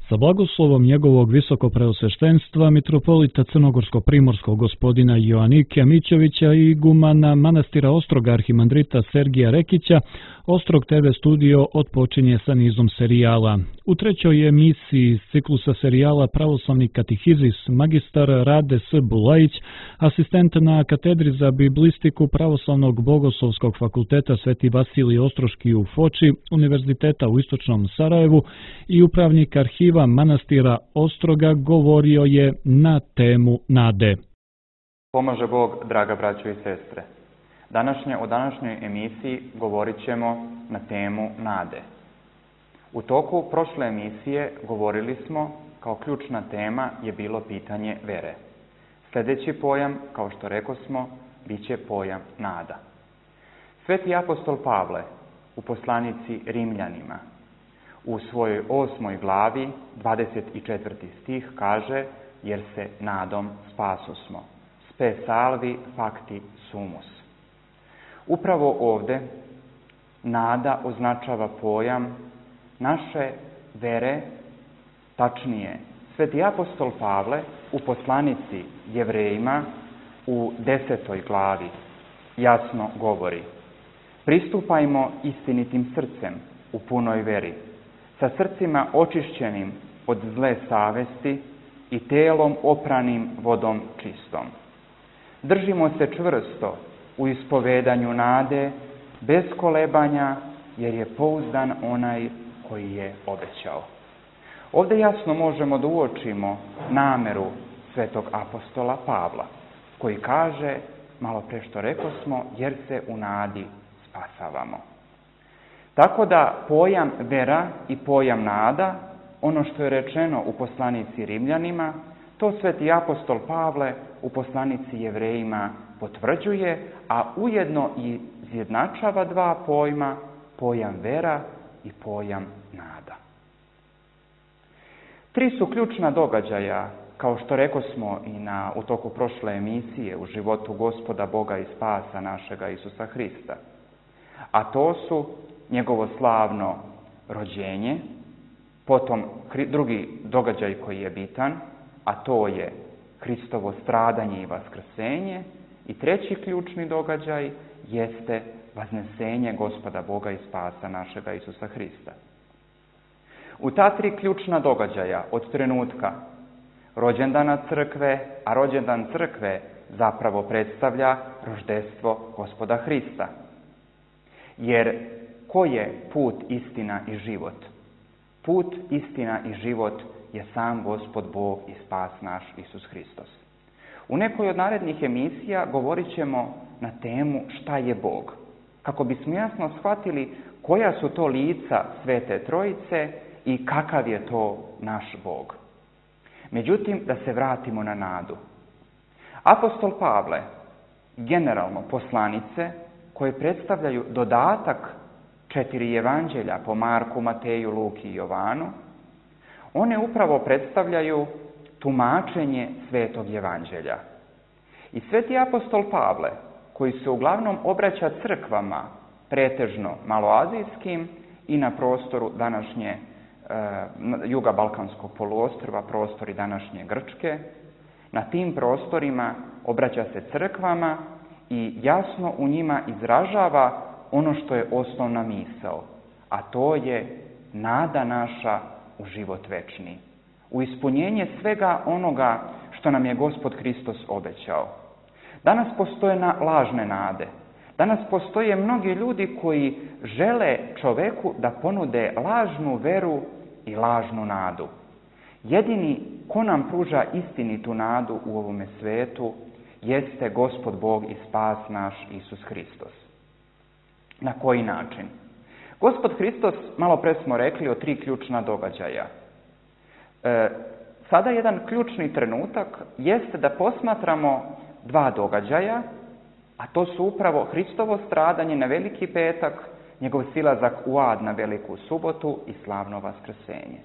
Sa blagoslovom njegovog visokopreosveštenstva mitropolita crnogorsko-primorskog gospodina Joanikija Mićovića i igumana manastira Ostroga arhimandrita Sergija Rekića, Ostrog TV studio otpočinje sa nizom serijala. U trećoj emisiji iz ciklusa serijala Pravoslavni katehizis magistar Rade S. Bulajić, asistent na katedri za biblistiku Pravoslavnog bogoslovskog fakulteta Sveti Vasilij Ostroški u Foči, Univerziteta u Istočnom Sarajevu i upravnik arhiva manastira Ostroga govorio je na temu nade. Pomaže Bog, draga braćo i sestre. U današnjoj emisiji govorit ćemo na temu nade. U toku prošle emisije govorili smo, kao ključna tema je bilo pitanje vere. Sljedeći pojam, kao što rekosmo, bit će pojam nada. Sveti apostol Pavle u poslanici Rimljanima u svojoj 8. glavi, 24. stih kaže: jer se nadom spasosmo. Spe salvi facti sumus. Upravo ovdje nada označava pojam naše vere, tačnije Sveti apostol Pavle u poslanici Jevrejima u 10. glavi jasno govori: pristupajmo istinitim srcem u punoj veri, sa srcima očišćenim od zle savesti i telom opranim vodom čistom. Držimo se čvrsto u ispovedanju nade, bez kolebanja, jer je pouzdan onaj koji je obećao. Ovdje jasno možemo da uočimo nameru svetog apostola Pavla, koji kaže, malo pre što rekosmo, jer se u nadi spasavamo. Tako da pojam vera i pojam nada, ono što je rečeno u poslanici Rimljanima, to sveti apostol Pavle u poslanici Jevrejima potvrđuje, a ujedno i izjednačava dva pojma, pojam vera i pojam nada. Tri su ključna događaja, kao što rekosmo i u toku prošle emisije, u životu Gospoda Boga i Spasa našega Isusa Hrista. A to su njegovo slavno rođenje, potom drugi događaj koji je bitan, a to je Hristovo stradanje i vaskrsenje, i treći ključni događaj jeste vaznesenje Gospoda Boga i Spasa našega Isusa Hrista. U ta tri ključna događaja od trenutka rođendana crkve, a rođendan crkve zapravo predstavlja roždestvo Gospoda Hrista. Jer ko je put, istina i život? Put, istina i život je sam Gospod Bog i Spas naš Isus Hristos. U nekoj od narednih emisija govorit ćemo na temu šta je Bog, kako bismo jasno shvatili koja su to lica Svete Trojice i kakav je to naš Bog. Međutim, da se vratimo na nadu. Apostol Pavle, generalno poslanice koje predstavljaju dodatak 4 evanđelja po Marku, Mateju, Luki i Jovanu, one upravo predstavljaju tumačenje Svetog evanđelja. I sveti apostol Pavle, koji se uglavnom obraća crkvama, pretežno maloazijskim i na prostoru današnje juga Balkanskog poluostrva, prostori današnje Grčke, na tim prostorima obraća se crkvama i jasno u njima izražava ono što je osnovna misao, a to je nada naša u život večni, u ispunjenje svega onoga što nam je Gospod Hristos obećao. Danas postoje lažne nade. Danas postoje mnogi ljudi koji žele čoveku da ponude lažnu veru i lažnu nadu. Jedini ko nam pruža istinitu nadu u ovome svetu jeste Gospod Bog i Spas naš Isus Hristos. Na koji način? Gospod Hristos, malo pre smo rekli o 3 ključna događaja. Sada jedan ključni trenutak jeste da posmatramo 2 događaja, a to su upravo Hristovo stradanje na Veliki petak, njegov silazak u ad na Veliku subotu i slavno vaskrsenje.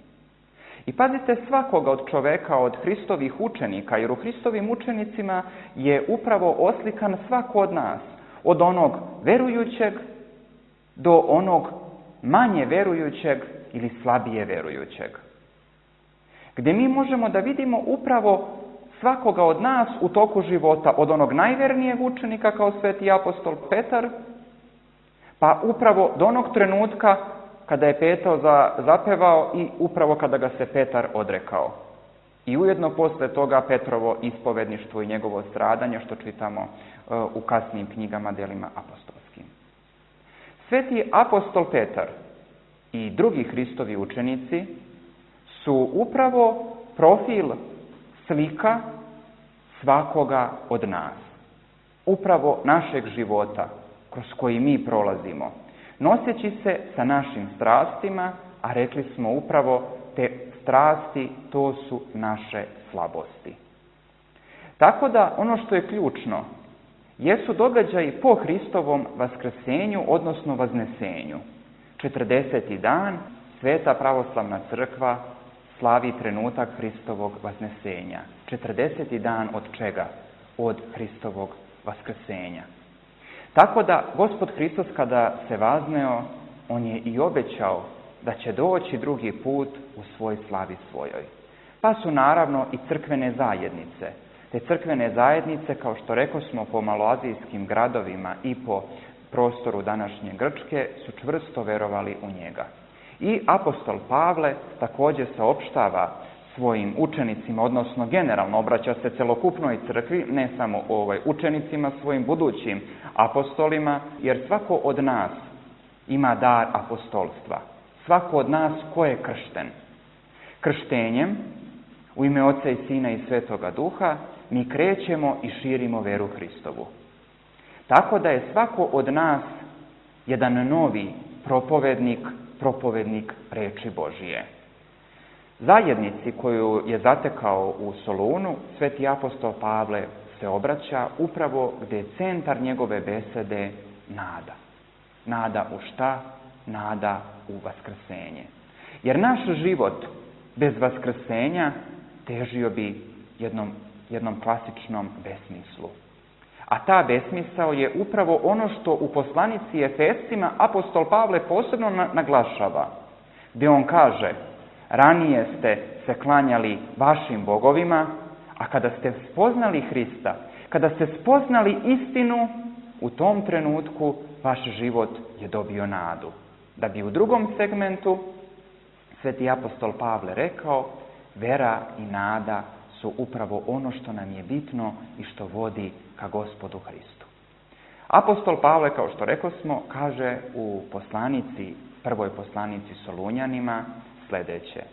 I pazite svakoga od čoveka, od Hristovih učenika, jer u Hristovim učenicima je upravo oslikan svako od nas, od onog verujućeg do onog manje verujućeg ili slabije verujućeg. gdje mi možemo da vidimo upravo svakoga od nas u toku života, od onog najvernijeg učenika kao sveti apostol Petar, pa upravo do onog trenutka kada je Petro zapevao i upravo kada ga se Petar odrekao. I ujedno posle toga Petrovo ispovedništvo i njegovo stradanje, što čitamo u kasnijim knjigama, delima apostolskim. Sveti apostol Petar i drugi Hristovi učenici su upravo profil, slika svakoga od nas. Upravo našeg života kroz koji mi prolazimo, noseći se sa našim strastima, a rekli smo upravo te strasti, to su naše slabosti. Tako da ono što je ključno jesu događaji po Hristovom vaskrsenju, odnosno vaznesenju. 40. dan Sveta pravoslavna crkva slavi trenutak Hristovog vaznesenja. 40. dan od čega? Od Hristovog vaskrsenja. Tako da Gospod Hristos kada se vazneo, on je i obećao da će doći drugi put u svoj slavi svojoj. Pa su naravno i crkvene zajednice. Te crkvene zajednice, kao što rekosmo, po maloazijskim gradovima i po prostoru današnje Grčke, su čvrsto verovali u njega. I apostol Pavle također saopštava svojim učenicima, odnosno generalno obraća se celokupnoj crkvi, ne samo učenicima, svojim budućim apostolima, jer svako od nas ima dar apostolstva. Svako od nas ko je kršten. Krštenjem, u ime Oca i Sina i Svetoga Duha, mi krećemo i širimo veru Hristovu. Tako da je svako od nas jedan novi propovednik reči Božije. Zajednici koju je zatekao u Solunu, sveti apostol Pavle se obraća upravo gdje je centar njegove besede nada. Nada u šta? Nada u vaskrsenje. Jer naš život bez vaskrsenja težio bi jednom klasičnom besmislu. A ta besmisao je upravo ono što u poslanici Efescima apostol Pavle posebno naglašava, gdje on kaže: ranije ste se klanjali vašim bogovima, a kada ste spoznali Hrista, kada ste spoznali istinu, u tom trenutku vaš život je dobio nadu. Da bi u drugom segmentu sveti apostol Pavle rekao: vera i nada su upravo ono što nam je bitno i što vodi ka Gospodu Hristu. Apostol Pavle, kao što rekosmo, kaže u prvoj poslanici Solunjanima sljedeće: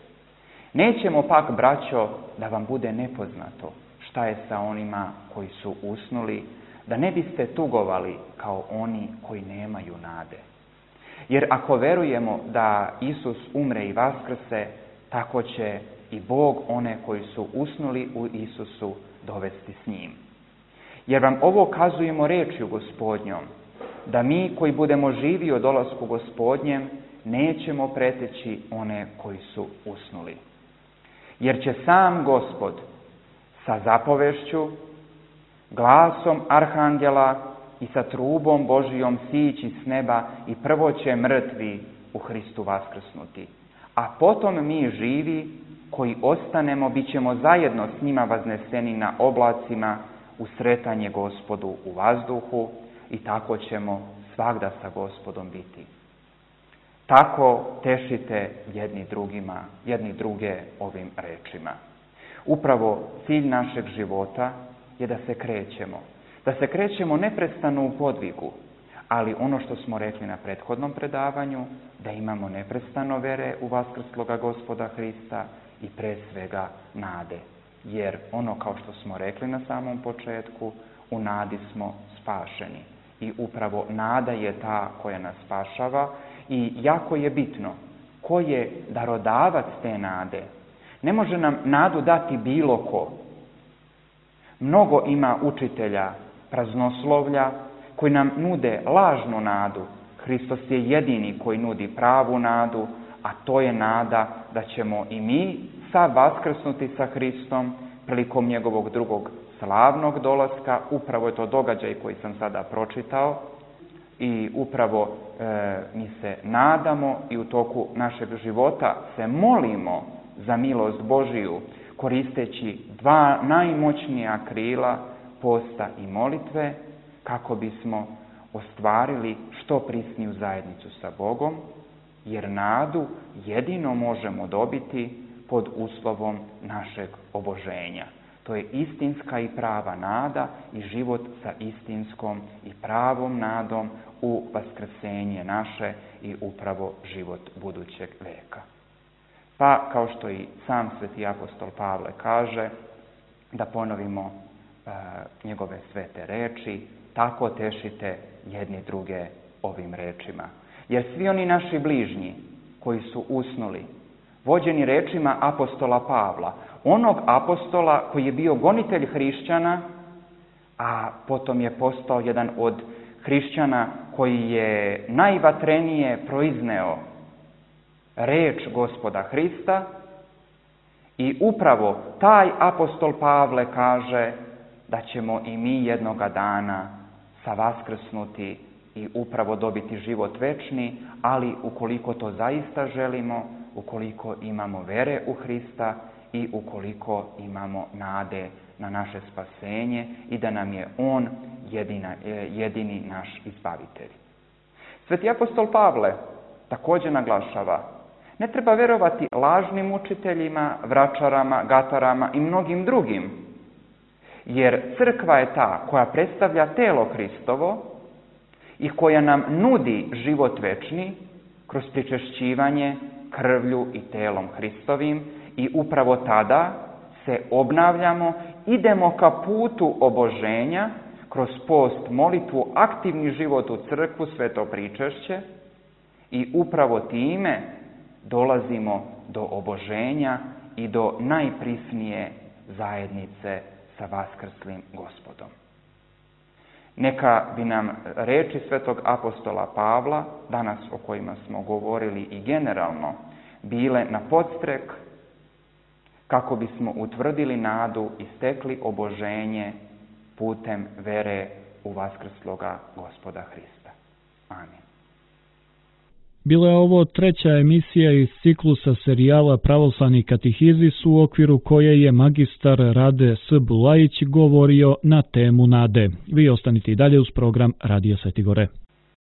nećemo pak, braćo, da vam bude nepoznato šta je sa onima koji su usnuli, da ne biste tugovali kao oni koji nemaju nade. Jer ako verujemo da Isus umre i vaskrse, tako će i Bog one koji su usnuli u Isusu dovesti s njim. Jer vam ovo kazujemo rečju Gospodnjom, da mi koji budemo živi o dolasku Gospodnjem nećemo preteći one koji su usnuli. Jer će sam Gospod sa zapovešću, glasom arhangela i sa trubom Božijom sići s neba i prvo će mrtvi u Hristu vaskrsnuti. A potom mi živi koji ostanemo bit ćemo zajedno s njima vazneseni na oblacima u sretanje Gospodu u vazduhu i tako ćemo svagda sa Gospodom biti. Tako tešite jedni druge ovim rečima. Upravo cilj našeg života je da se krećemo. Da se krećemo neprestano u podvigu, ali ono što smo rekli na prethodnom predavanju, da imamo neprestano vere u vaskrsloga Gospoda Hrista i pre svega nade. Jer ono, kao što smo rekli na samom početku, u nadi smo spašeni. I upravo nada je ta koja nas spašava i jako je bitno ko je darodavac te nade. Ne može nam nadu dati bilo ko. Mnogo ima učitelja praznoslovlja koji nam nude lažnu nadu. Hristos je jedini koji nudi pravu nadu, a to je nada da ćemo i mi sad vaskrsnuti sa Hristom prilikom njegovog drugog slavnog dolaska. Upravo je to događaj koji sam sada pročitao i upravo mi se nadamo i u toku našeg života se molimo za milost Božiju, koristeći dva najmoćnija krila posta i molitve, kako bismo ostvarili što prisniju zajednicu sa Bogom, jer nadu jedino možemo dobiti pod uslovom našeg oboženja. To je istinska i prava nada i život sa istinskom i pravom nadom u vaskrsenje naše i upravo život budućeg veka. Pa, kao što i sam sveti apostol Pavle kaže, da ponovimo njegove svete reči, tako tešite jedni druge ovim rečima. Jer svi oni naši bližnji koji su usnuli, vođeni rečima apostola Pavla, onog apostola koji je bio gonitelj hrišćana, a potom je postao jedan od hrišćana koji je najvatrenije proizneo reč Gospoda Hrista, i upravo taj apostol Pavle kaže da ćemo i mi jednoga dana savaskrsnuti i upravo dobiti život večni, ali ukoliko to zaista želimo, ukoliko imamo vere u Hrista i ukoliko imamo nade na naše spasenje i da nam je On jedini naš izbavitelj. Sveti apostol Pavle također naglašava: ne treba vjerovati lažnim učiteljima, vračarama, gatarama i mnogim drugim, jer crkva je ta koja predstavlja telo Hristovo i koja nam nudi život večni kroz pričešćivanje krvlju i telom Hristovim, i upravo tada se obnavljamo, idemo ka putu oboženja kroz post, molitvu, aktivni život u crkvu, sveto pričešće, i upravo time dolazimo do oboženja i do najprisnije zajednice sa vaskrslim Gospodom. Neka bi nam reči svetog apostola Pavla, danas o kojima smo govorili i generalno, bile na podstrek kako bismo utvrdili nadu i stekli oboženje putem vere u vaskrsloga Gospoda Hrista. Amin. Bila je ovo treća emisija iz ciklusa serijala Pravoslavni katehizis, u okviru koje je magistar Rade S. Bulajić govorio na temu nade. Vi ostanite i dalje uz program Radija Sveti Gore.